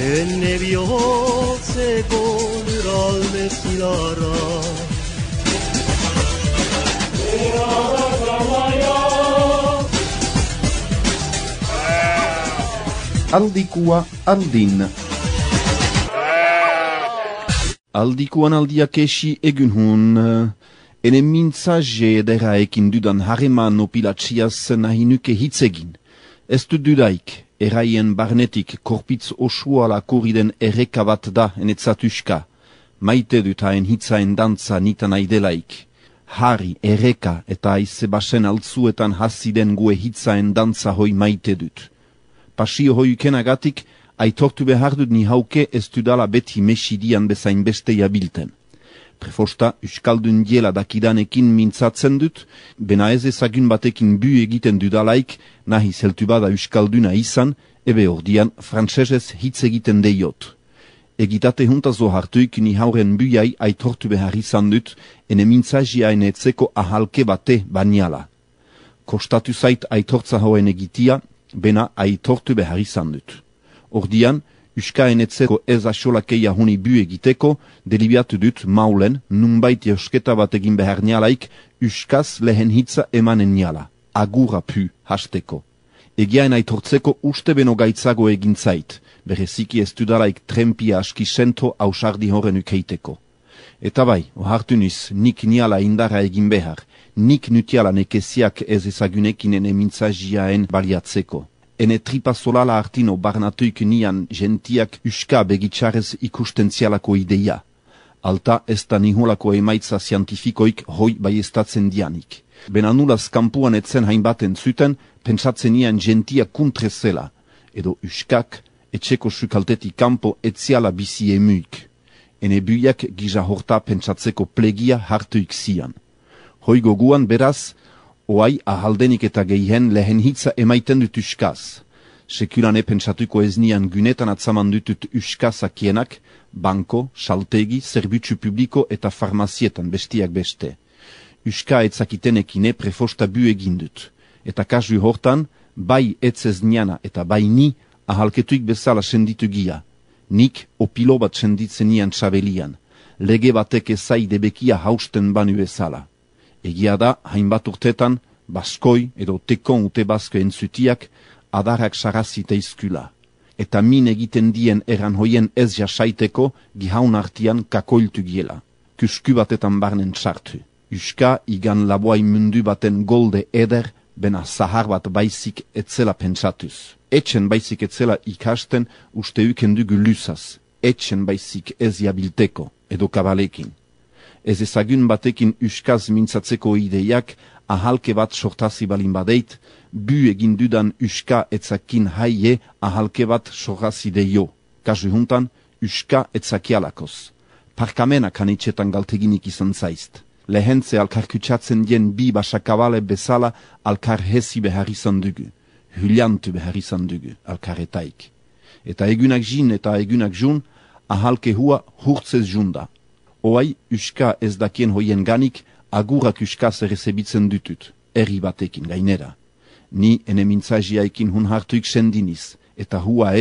ene bihotzeko lurralde zilarra. Aldikua aldin. Aldikuan aldiak esi egun hun, ene mintzaje edera ekin dudan hareman opilatxiaz nahi nuke hitzegin. Ez du dudaik, eraien barnetik korpitz osuala koriden erreka bat da enetzatuska. Maite dut haen hitzaen dantza nitan aidelaik. Harri, erreka eta aize basen altzuetan hasiden gue hitzaen dantza hoi maite dut. Pasio hoiukenagatik, aitortu behar dut ni hauke ez dudala beti mesidian bezain beste jabilten. Prefosta, euskaldun diela dakidanekin mintzatzen dut, bena ez ezagun batekin bu egiten dudalaik, nahi zeltu bada euskalduna izan, ebe ordian frantsesez hitz egiten deiot. Egitate juntazo hartuik ni hauren buiai aitortu behar izan dut, ene mintzajiaen etzeko ahalke bate baniala. Kostatu zait aitortza hauen egitia, bena aitortu behar izan dut. Ordian, euskaen etzeko ez asolakeia honi bu egiteko, delibiatu dut maulen, nunbait josketa bat egin behar nialaik, euskaz lehen hitza emanen niala, agura pu hasteko. Egiaen aitortzeko uste beno gaitzago egin zait, bereziki ez dudalaik trempia aski sento ausardi horren ukeiteko. Eta bai, ohartu niz, nik niala indara egin behar, nik nutiala nekeziak ez ezagunekin ene mintzajiaen baliatzeko. Ene tripa solala artino barnatuik nian gentiak uska begitxarez ikustentzialako ideia. Alta ez da niholako emaitza zientifikoik hoi baiestatzen dianik. Benanulaz kampuan etzen hainbaten zuten, pentsatzen nian gentia kuntrezela, edo uskak etxeko sukaltetik kanpo etziala bizi emuik. Ene buiak gija horta pentsatzeko plegia hartuik zian. Hoi goguan beraz, oai ahaldenik eta geihen lehen hitza emaiten dut uskaz. Sekulane pentsatuko ez nian gunetan atzaman dutut uskazakienak, banko, saltegi, zerbitzu publiko eta farmazietan bestiak beste. Uska etzakitenekine prefosta bu egin dut. Eta kasu hortan, bai etzez niana eta bai ni ahalketuik bezala senditu gia. Nik opilo bat senditzen nian txabelian. Lege batek ezai debekia hausten banu bezala. Egia da, hainbat urtetan, baskoi edo tekon ute basko entzutiak, adarrak sarazite izkula. Eta min egiten dien eran hoien ez jasaiteko, gihaun artian kakoiltu giela. Kusku batetan barnen txartu. Uska igan laboai mundu baten golde eder, bena zahar bat baizik etzela pentsatuz. Etxen baizik etzela ikasten uste ukendugu lusaz. Etxen baizik ez jabilteko, edo kabalekin. Ez ezagun batekin uskaz mintzatzeko ideiak ahalke bat sortazi balin badeit, bu egin dudan uska etzakin haie ahalke bat sortazi deio. Kasu juntan, uska etzakialakoz. Parkamena kanitxetan galteginik izan zaizt. Lehentze alkar kutsatzen dien bi basakabale bezala alkar hesi behar izan dugu. Huliantu behar izan dugu, alkaretaik. Eta egunak jin eta egunak jun, ahalke hua hurtzez junda. Oai, uska ez dakien hoien ganik, agurak uskaz errezebitzen dutut, herri batekin gainera. Ni ene mintzajiaikin hun hartuik sendiniz, eta hua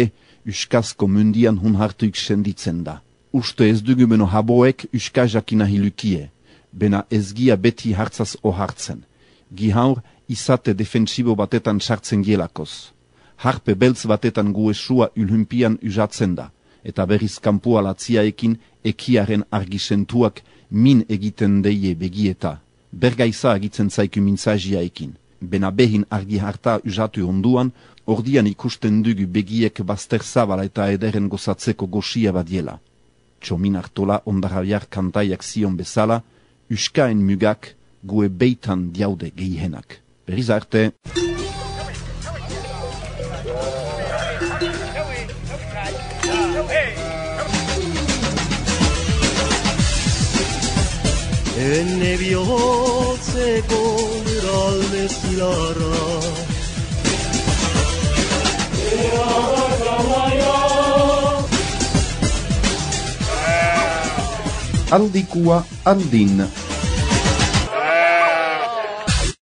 uskazko mundian hun hartuik senditzen da. Uste ez dugu beno haboek uskajakina hilukie, bena ezgia beti hartzaz ohartzen. Gihaur, izate defensibo batetan sartzen gielakoz. Harpe beltz batetan guesua ulhumpian usatzen da. Eta berriz kampua latziaekin ekiaren argisentuak min egiten deie begieta. Bergaiza agitzen zaiku mintzajiaekin. Bena behin argi harta usatu onduan, ordian ikusten dugu begiek bazter zabala eta ederen gozatzeko goxia badiela. Txomin hartola ondarabiar kantaiak zion bezala, uskaen mugak gue beitan diaude geihenak. Berriz arte! Ene bihotzeko lurralde zilarra. Aldikua aldin.